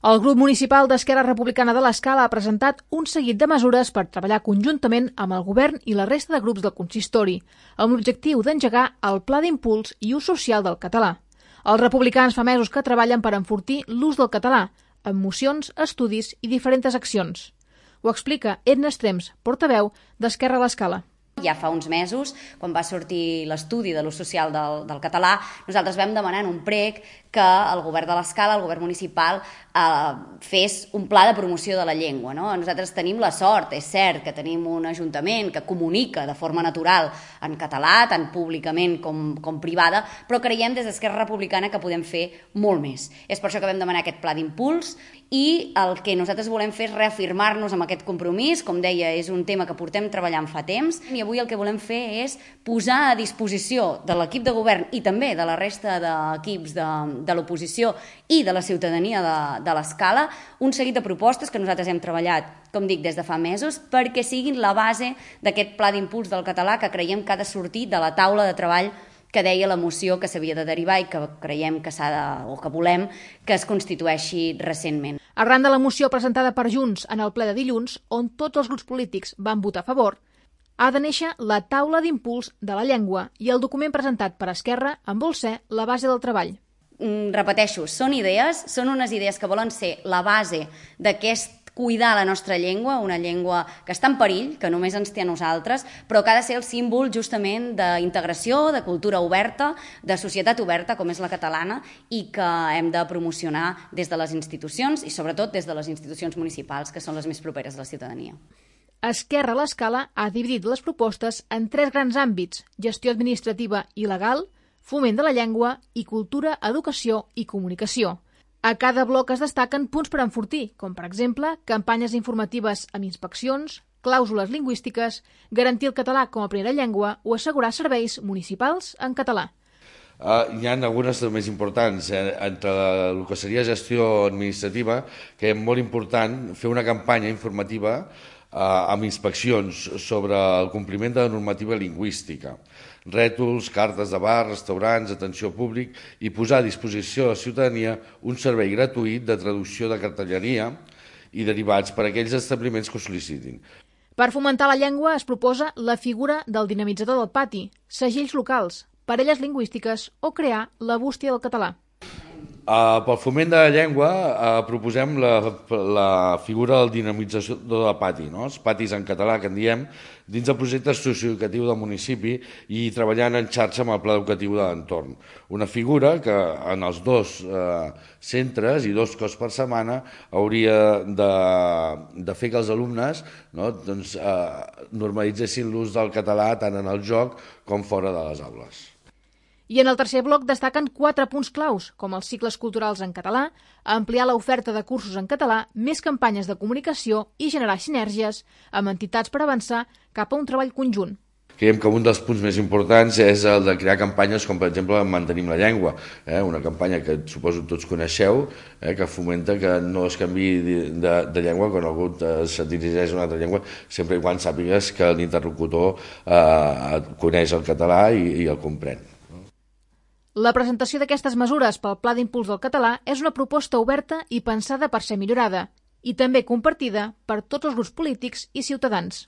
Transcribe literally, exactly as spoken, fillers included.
El grup municipal d'Esquerra Republicana de l'Escala ha presentat un seguit de mesures per treballar conjuntament amb el govern i la resta de grups del consistori, amb l'objectiu d'engegar el Pla d'Impuls i Ús Social del Català. Els republicans fa mesos que treballen per enfortir l'ús del català, amb mocions, estudis i diferents accions. Ho explica Edna Estrems, portaveu d'Esquerra a l'Escala. Ja fa uns mesos, quan va sortir l'estudi de l'ús social del, del català, nosaltres vam demanar en un prec que el govern de l'Escala, el govern municipal, eh, fes un pla de promoció de la llengua. No? Nosaltres tenim la sort, és cert, que tenim un ajuntament que comunica de forma natural en català, tant públicament com, com privada, però creiem des d'Esquerra Republicana que podem fer molt més. És per això que vam demanar aquest pla d'impuls i el que nosaltres volem fer és reafirmar-nos amb aquest compromís. Com deia, és un tema que portem treballant fa temps i avui el que volem fer és posar a disposició de l'equip de govern i també de la resta d'equips de, de l'oposició i de la ciutadania de, de l'Escala un seguit de propostes que nosaltres hem treballat, com dic, des de fa mesos, perquè siguin la base d'aquest pla d'impuls del català que creiem que ha de sortir de la taula de treball que deia la moció que s'havia de derivar i que creiem que s'ha de, o que volem que es constitueixi recentment. Arran de la moció presentada per Junts en el ple de dilluns, on tots els grups polítics van votar a favor, ha de néixer la taula d'impuls de la llengua i el document presentat per Esquerra en vol ser la base del treball. Mm, repeteixo, són idees, són unes idees que volen ser la base d'aquest cuidar la nostra llengua, una llengua que està en perill, que només ens té a nosaltres, però que ha de ser el símbol justament d'integració, de cultura oberta, de societat oberta, com és la catalana, i que hem de promocionar des de les institucions i sobretot des de les institucions municipals, que són les més properes a la ciutadania. Esquerra a l'Escala ha dividit les propostes en tres grans àmbits: gestió administrativa i legal, foment de la llengua i cultura, educació i comunicació. A cada bloc es destaquen punts per enfortir, com per exemple campanyes informatives amb inspeccions, clàusules lingüístiques, garantir el català com a primera llengua o assegurar serveis municipals en català. Uh, hi ha algunes de més importants. Eh? Entre el que seria gestió administrativa, que és molt important fer una campanya informativa uh, amb inspeccions sobre el compliment de la normativa lingüística, rètols, cartes de bar, restaurants, atenció públic, i posar a disposició de la ciutadania un servei gratuït de traducció de cartelleria i derivats per a aquells establiments que ho sol·licitin. Per fomentar la llengua es proposa la figura del dinamitzador del pati, segells locals, parelles lingüístiques o crear la bústia del català. Uh, pel foment de la llengua uh, proposem la, la figura del dinamitzador del pati, no? Els patis en català que en diem, dins del projecte socioeducatiu del municipi i treballant en xarxa amb el pla educatiu de l'entorn. Una figura que en els dos uh, centres i dos cops per setmana hauria de, de fer que els alumnes, no, doncs, uh, normalitzessin l'ús del català tant en el joc com fora de les aules. I en el tercer bloc destaquen quatre punts claus, com els cicles culturals en català, ampliar l'oferta de cursos en català, més campanyes de comunicació i generar sinergies amb entitats per avançar cap a un treball conjunt. Creiem que un dels punts més importants és el de crear campanyes com, per exemple, Mantenim la llengua, eh? Una campanya que suposo tots coneixeu, eh? Que fomenta que no es canvi de, de, de llengua quan algú se dirigeix a una altra llengua, sempre i quan sàpigues que l'interlocutor eh, coneix el català i, i el comprèn. La presentació d'aquestes mesures pel Pla d'Impuls del Català és una proposta oberta i pensada per ser millorada, i també compartida per tots els grups polítics i ciutadans.